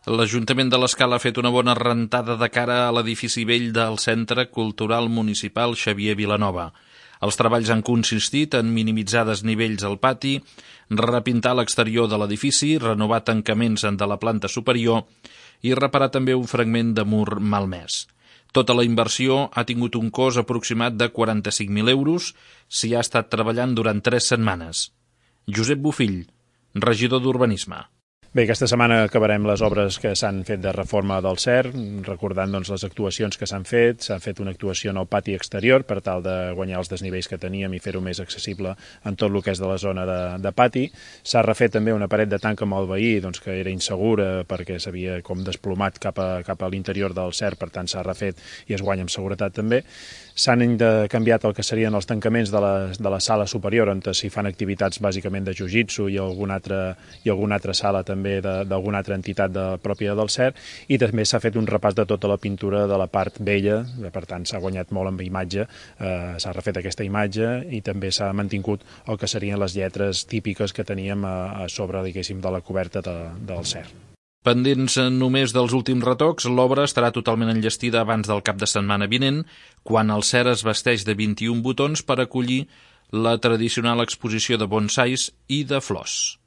L'Ajuntament de l'Escala ha fet una bona rentada de cara a l'edifici vell del Centre Cultural Municipal Xavier Vilanova. Els treballs han consistit en minimitzar desnivells al pati, repintar l'exterior de l'edifici, renovar tancaments de la planta superior i reparar també un fragment de mur malmès. Tota la inversió ha tingut un cost aproximat de 45.000 euros, s'hi ha estat treballant durant 3 setmanes. Josep Bofill, regidor d'Urbanisme. Bé, aquesta setmana acabarem les obres que s'han fet de reforma del CER, recordant les actuacions que s'han fet. S'ha fet una actuació en el pati exterior per tal de guanyar els desnivells que teníem i fer-ho més accessible en tot el que és de la zona de pati. S'ha refet també una paret de tanc amb el veí, que era insegura perquè s'havia com desplomat cap a l'interior del CER, per tant s'ha refet i es guanya amb seguretat també. S'han canviat el que serien els tancaments de la sala superior, on s'hi fan activitats bàsicament de jiu-jitsu i alguna altra sala també d'alguna altra entitat pròpia del CER, i també s'ha fet un repàs de tota la pintura de la part vella, per tant s'ha guanyat molt amb imatge, s'ha refet aquesta imatge i també s'ha mantingut el que serien les lletres típiques que teníem a sobre, diguéssim, de la coberta del CER. Pendents només dels últims retocs, l'obra estarà totalment enllestida abans del cap de setmana vinent, quan el CER es vesteix de 21 botons per acollir la tradicional exposició de bonsais i de flors.